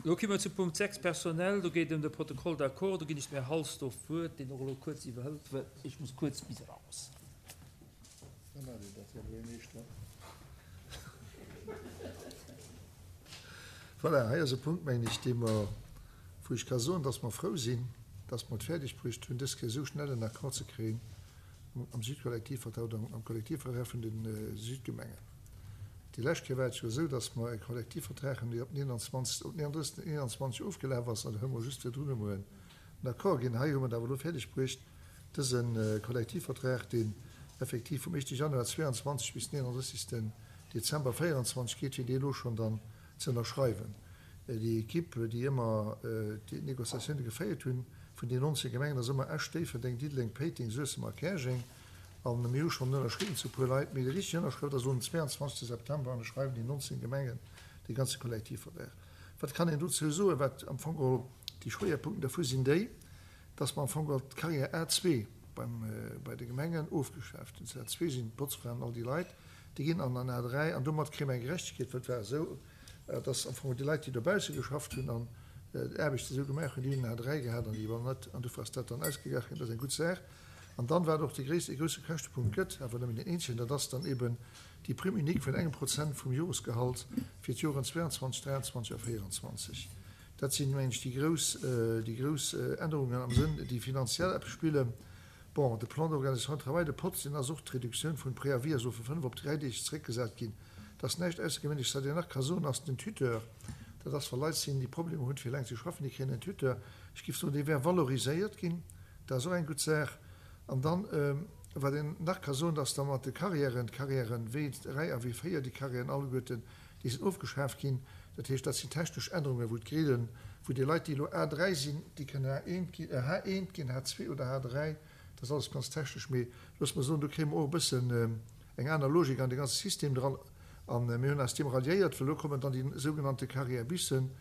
Elo komme mer zu Punkt 6, Personnel. Do geet et ëm de Protocole d'accord. Do ginn ech dem Här Halsdorf d'Wuert, deen och elo kuerz iwwerhëlt, well ech muss kuerz bis eraus. Da maacht Dir dat, Här Buergermeeschter. Voilà, hei ass e Punkt, mengen ech, dee mer, wou ech ka soen, dass mer frou sinn, dass mer et fäerdegbruecht hunn, dës Kéier esou schnell en Accord ze kréien am Südkollektivvertrag oder am Kollektivvertrag vun de Südgemengen. Déi lescht Kéier war et jo esou, dass mer e Kollektivvertrag hunn, dee op den 21, op den 31. 21 ofgelaf ass, an da hu mer just virdrun emol en Accord ginn. Hei hu mer et awer elo fäerdegbruecht, dëse Kollektivvertrag, deen effektiv vum éischte Januar 22 bis den 31. Dezember 24 geet, fir dee elo schonn dann ze ënnerschreiwen. Déi Equipe, déi ëmmer déi Négociatioune geféiert hunn, vun den 19 Gemengen, ass ëmmer Esch, Déifferdeng, Diddeleng, Péiteng, Suessem a Käerjeng. A mir hu schonn ënnerschriwwen zu e puer Leit, mee déi richteg Ënnerschrëft ass elo den 22. September an da schreiwen déi 19 Gemengen dee ganze Kollektivvertrag. Wat kann een dozou soen? Wat am Fong geholl déi Schwéierpunkten dervu sinn, déi, dass mer am Fong geholl d'Carrière A2 beim, bei de Gemengen ofgeschaaft hunn. A2 sinn d'Botzfraen, all déi Leit, déi ginn an an A3 an domat kréie mer eng Gerechtegkeet, well et war esou, dass am Fong déi Leit, déi dobausse geschafft hunn an d'Aarbecht esou gemaach hunn, déi hunn en A3 gehat an déi war net, an dofir ass dat dann ausgeglach ginn. Dat ass eng gutt Saach. An dann, wat och de gréisste, e grousse Käschtepunkt gëtt, awer nëmmen deen eenzegen, dat ass dann eben déi Prime unique vun engem Prozent vum Joresgehalt fir d'Joren 22, 23 a 24. Dat sinn, mengen ech, déi grouss, déi grouss Ännerungen am Sënn, déi finanziell eppes spillen. Bon, de Plan d'organisation du travail, de POZ, deen ass och, d'Reduktioun vun Préavis ass elo vu 5 op 3 Deeg zeréckgesat ginn. Dat ass näischt Aussergewéinleches. Wat een nach ka soen, ass den Tuteur. Dat ass, wa Leit sinn, déi Problemer hunn, fir eleng ze schaffen, déi kréien en Tuteur. Ech géif soen, dee wär valoriséiert ginn. Dat ass och eng gutt Saach. An dann, wat een nach ka soen, dass da mat de Carrièren, d'Carrièren W3 a W4, déi Carrièren alleguerten, déi sinn ofgeschaaft ginn. Dat heescht, dat sinn technesch Ännerungen, wou d'Grillen, wou déi Leit, déi elo A3 sinn, déi kënnen A1 ginn, H1 ginn, H2 oder H3. Dat ass alles ganz technesch, mee loosse mer soen, do kréie mer och e bëssen eng aner Logik an de ganze System dran. A mir hunn eis deem ralliéiert, well elo kommen dann déi sougenannte Carrière-Bissen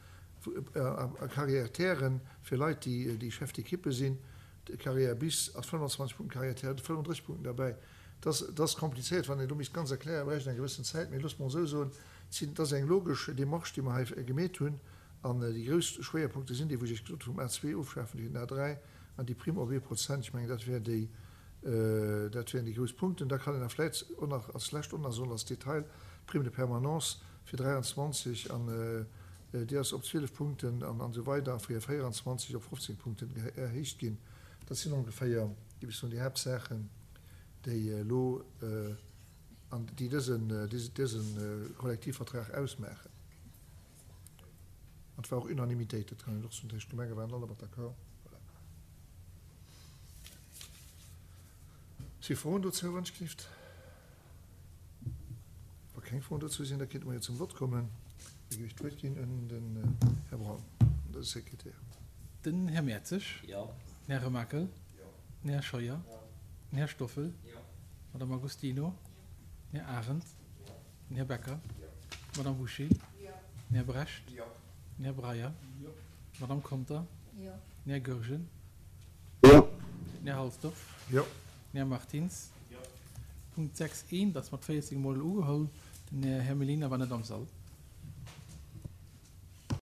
a Carrière-Terren fir Leit, déi Chef d'équipe sinn. De Carrière bis ass 25 Punkten, Carrière ter huet 35 Punkten derbäi. Dat ass komplizéiert, wann een do misst ganz erklären, bräicht een eng gewëssen Zäit. Mee loosse mer esou soen, et ass eng logesch Démarche, déi mer hei gemeet hunn. An déi grouss Schwéierpunkte sinn déi, wou ech Iech gesot hu vum A2 ofschafen, fir den A3 an déi Prime op ee Prozent. Ech mengen, dat wär déi, dat wären déi grouss Punkten. Da kann een nach vläicht och nach als lescht och nach soen, als Detail, d'Prime de permanence fir 23 an déi ass op 12 Punkten an esou weider a fir 24 op 15 Punkten erhéicht ginn. Dat sinn ongeféier, géif ech soen, déi Haaptsaachen, déi elo an déi dësen, dëse Kollektivvertrag ausmaachen. An et war och Unanimitéit, dat kann een och soen. Dat heescht, d'Gemenge waren allemat d'accord. Voilà. Si Froen dozou, wann ech gelift? Wa keng Froen dozou sinn, da kéinte mer jo zum Vott kommen. Da géif ech d'Wuert ginn un den Här Braun, de Sekretär. Den Här Mertzig. Jo. Den Här Remakel. Jo. Den Här Scheuer. Jo. Den Här Stoffel. Jo. D'Madame Agostino. Jo. Den Här Arendt. Jo. Den Här Becker. Jo. D'Madame Bouché. Jo. Den Här Brecht. Jo. Den Här Breyer. Jo. D'Madame Conter. Jo. Den Här Goergen. Jo. Den Här Halsdorf. Jo. Den Här Martins. Jo. Punkt 6 eent ass mat 14 Mol ugeholl. Den Här Mellina war net am Sall.